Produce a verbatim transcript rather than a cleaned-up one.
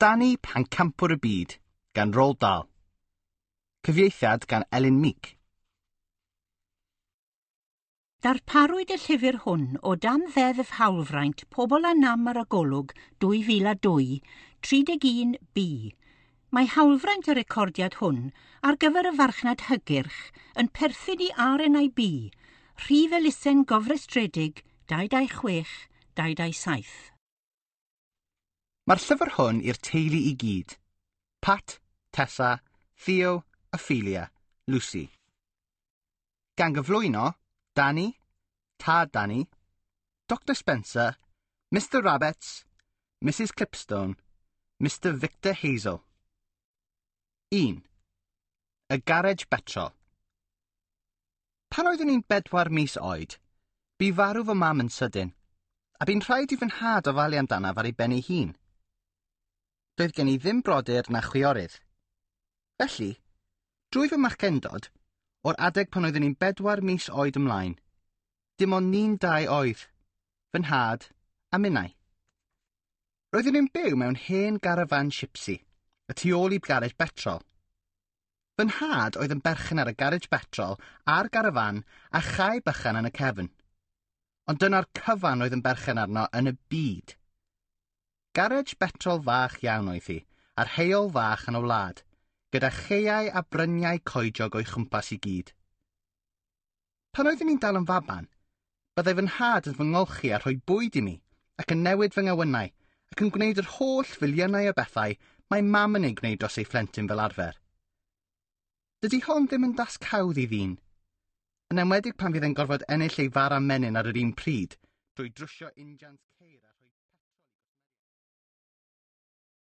Danny Pencampwr y Byd gan Roald Dahl. Cyfieithiad gan Elin Meek. Darparwyd y llyfr hwn o dan Ddeddf Hawlfraint Pobl â Nam ar y Golwg dwy fil a dwy, tri deg un B. Mae hawlfraint y recordiad hwn ar gyfer y farchnad hygyrch yn perthyn i R N I B, rhif elusen gofrestredig dau dau chwech dau dau saith. Mae'r llyfr hwn i'r teulu i gyd. Pat, Tessa, Theo, Ophelia, Lucy. Gan gyflwyno, Danny, Tad Danny, Doctor Spencer, Mister Rabbits, Missus Clipstone, Mister Victor Hazel. un. Y garej betrol. Pan oeddwn i'n bedwar mis oed, bu farw fy mam yn sydyn, a bu'n rhaid i fy nhad ofalu amdanaf ar ei ben ei hun. Doedd gen i ddim brodyr na chwiorydd. Felly, drwy fy machgendod, o'r adeg pan oeddwn i'n bedwar mis oed ymlaen, dim ond ni'n dau oedd, fy nhad a minnau. Roeddwn i'n byw mewn hen garafan sipsi, y tu ôl i garej betrol. Fy nhad oedd yn berchen ar y garej betrol a'r garafan a chae bychan yn y cefn. Ond dyna'r cyfan oedd yn berchen arno yn y byd. Garej betrol fach iawn oedd hi, a'r heol fach yn y wlad, gyda chaeau a bryniau coediog o'i chwmpas i gyd. Pan oeddwn i'n dal yn faban, byddai fy nhad yn fy ngolchi a rhoi bwyd i mi, ac yn newid fy ngawynau, ac yn gwneud yr holl filiynau o bethau mae mam yn ei gwneud dros ei phlentyn fel arfer. Dydy hon ddim yn dasg hawdd i ddyn, yn enwedig pan fydd e'n gorfod ennill ei fara menyn ar yr un pryd, drwy drwsio injans ceir a